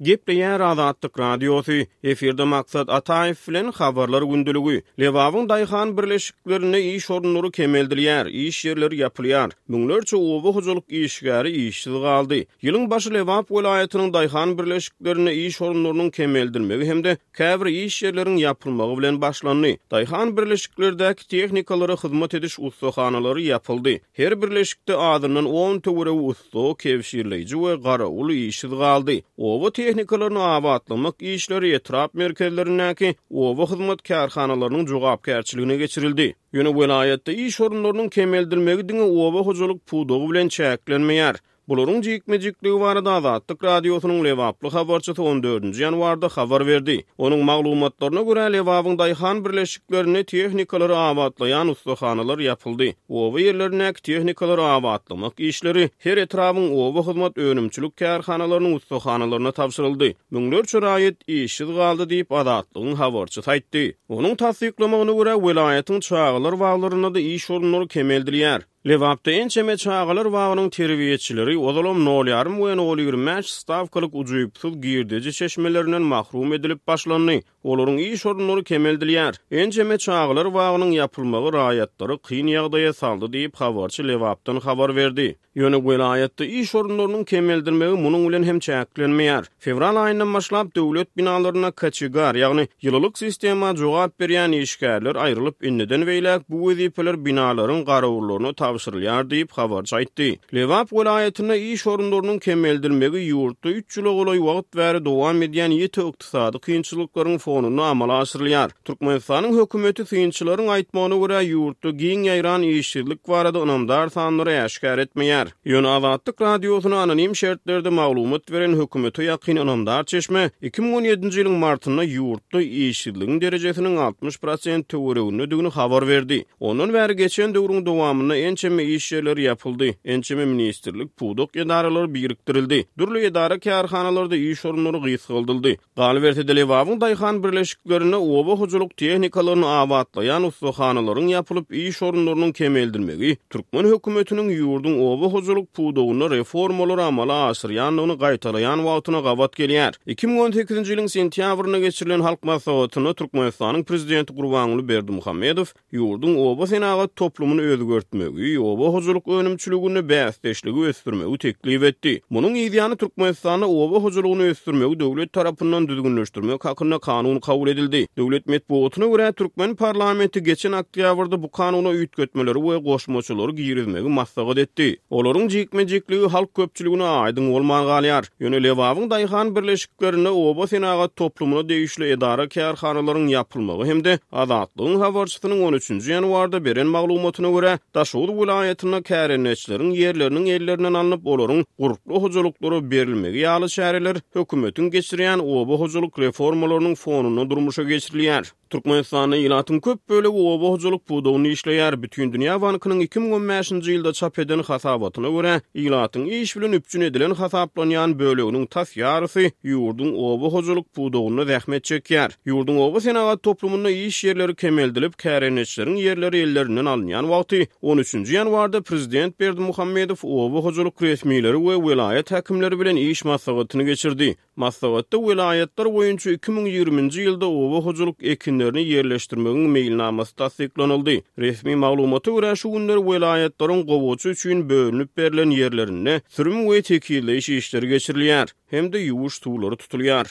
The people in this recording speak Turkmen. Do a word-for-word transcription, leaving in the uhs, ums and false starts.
Gepleýär Azatlyk Radiosy, efirde Maksat Ataýew bilen Habarlar gündeligi. Lebabyň daýhan birleşiklerinde iş orunlary kemeldilýär, iş ýerleri ýapylýar. Müňlerçe oba hojalyk işgäri işsiz galdy. Ýylyň başy Lebap welaýatynyň daýhan birleşiklerinde iş orunlarynyň kemeldilmegi hem-de käbir iş ýerleriň ýapylmagy bilen başlandy. Daýhan birleşiklerdäki tehnikalara hyzmat ediş ussahanalary ýapyldy. Her birleşikde azyndan on töweregi ussa, kewşirleýji we garawul işsiz galdy. Oba tehnikalaryny abatlamak işleri etrap merkezlerindäki oba hyzmat kärhanalarynyň jogapkärçiligine geçirildi. Ýöne welaýatda iş orunlarynyň kemeldilmegi diňe oba hojalyk pudagy bilen çäklenmeýär. Bularyň jikme-jikligi barada Azatlyk Radiosynyň Lebaply habarçysy on dördünji ýanwarda habar berdi. Onuň maglumatlaryna görä Lebabyň daýhan birleşiklerinde tehnikalary abatlaýan ussahanalar ýapyldy. Oba ýerlerindäki tehnikalary abatlamak işleri her etrabyň oba hyzmat önümçilik kärhanalarynyň ussahanalaryna tabşyryldy. Müňlerçe raýat işsiz galdy diýip Azatlygyň habarçysy aýtdy. Onuň tassyklamagyna görä welaýatyň çagalar baglarynda-da iş orunlary kemeldilýär. Lebapda ençeme çagalar bagynyň terbiýeçileri ozalam nol ýarym we nol ýigrimi bäş stavkalyk ujypsyz girdeji çeşmelerinden mahrum edilip başlandy. Olaryň iş orunlary kemeldilýär. Ençeme çagalar bagynyň ýapylmagy raýatlary kyn ýagdaýa saldy diýip habarçy Lebapdan habar berdi. Ýöne welaýatda iş orunlarynyň kemeldilmegi munuň bilen hem çäklenmeýär. Fewral aýyndan başlap döwlet binalaryna kaçegar, ýagny ýylylyk sistema jogap berýän işgärler aýrylyp indiden beýläk bu wezipeler binalaryň garawullaryna tabşyrylýar diýip habarçy aýtdy. Lebap welaýatynda iş orunlarynyň kemeldilmegi ýurtda üç ýyla golaý wagt bäri dowam edýän ýiti ykdysady kynçylyklaryň fonunda amala aşyrylýar. Türkmenistanyň hökümeti synçylaryň aýtmagyna görä ýurtda giň ýaýran işsizlik barada ynamdar sanlary äşgär etmeýär. Ýöne Azatlyk Radiosyna anonim şertlerde maglumat beren hökümete ýakyn ynamdar çeşme iki müň on ýedinji ýylyň martynda ýurtda işsizligiň derejesiniň altmyş prosent töweregindedigini habar berdi. Ondan bäri geçen döwrüň dowamynda ençeme iş ýerleri ýapyldy, ençeme ministrlik, pudak edaralary birikdirildi. Dürli edara kärhanalarda iş orunlary gysgaldyldy. Galyberse-de Lebabyň daýhan birleşiklerinde oba hojalyk tehnikalaryny abatlaýan ussahanalaryň ýapylyp iş orunlarynyň kemeldilmegi türkmen hökümetiniň ýurduň oba hojalyk pudagynda reformalary amala aşyrýandygyny gaýtalaýan wagtyna gabat gelýär. iki müň on sekizinji ýylyň sentýabrynda geçirilen halk maslahatynda Türkmenistanyň prezidenti Gurbanguly Berdimuhamedow ýurduň oba senagat toplumyny özgertmegi, oba hojalyk önümçiliginde bäsdeşligi ösdürmegi teklip etdi. Munuň ýany Türkmenistanda oba hojalygyny ösdürmegi döwlet tarapyndan düzgünleşdirmek hakynda kanun kabul edildi. Döwlet metbugatyna görä türkmen parlamenti geçen oktýabrda bu kanuna üýtgetmeleri we goşmaçalary girizmegi maslahat etdi. Olaryň jikme-jikligi halk köpçüligine aýdyň bolman galýar. Ýöne Lebabyň daýhan birleşiklerinde oba senagat toplumyna degişli edara kärhanalaryň ýapylmagy hem-de Azatlygyň habarçysynyň on üçünji ýanwarda beren maglumatyna görä Daşoguz welaýatynda kärendeçileriň ýerleriniň ellerinden alnyp, olaryň gurply hojalyklara berilmegi ýaly çäreler hökümetiň geçirýän oba hojalyk reformalarynyň fonunda durmuşa geçirilýär. Türkmenistanda ilatyň köp bölegi oba hojalyk pudagynda işleýär. Bütindünýä bankynyň iki müň on bäşinji ýylda çap eden hasabatyna görä, ilatyň iş bilen üpjün edilen hasaplanýan böleginiň tas ýarysy ýurduň oba hojalyk pudagynda zähmet çekýär. Ýurduň oba senagat toplumynda iş ýerleri kemeldilip, kärendeçileriň ýerleri ellerinden alynýan wagty on üçünji ýanwarda prezident Berdimuhamedow oba hojalyk resmileri we welaýat häkimleri bilen iş maslahatyny geçirdi. Maslahatda welaýatlar boýunça iki müň ýigriminji ýylda oba hojalyk ekinlerini ýerleşdirmegiň meýilnamasy tassyklanyldy. Resmi maglumata görä şu günler welaýatlaryň gowaça üçin bölünip berlen ýerlerinde sürüm we tekizleýiş işleri geçirilýär hem-de ýuwuş suwlary tutulýar.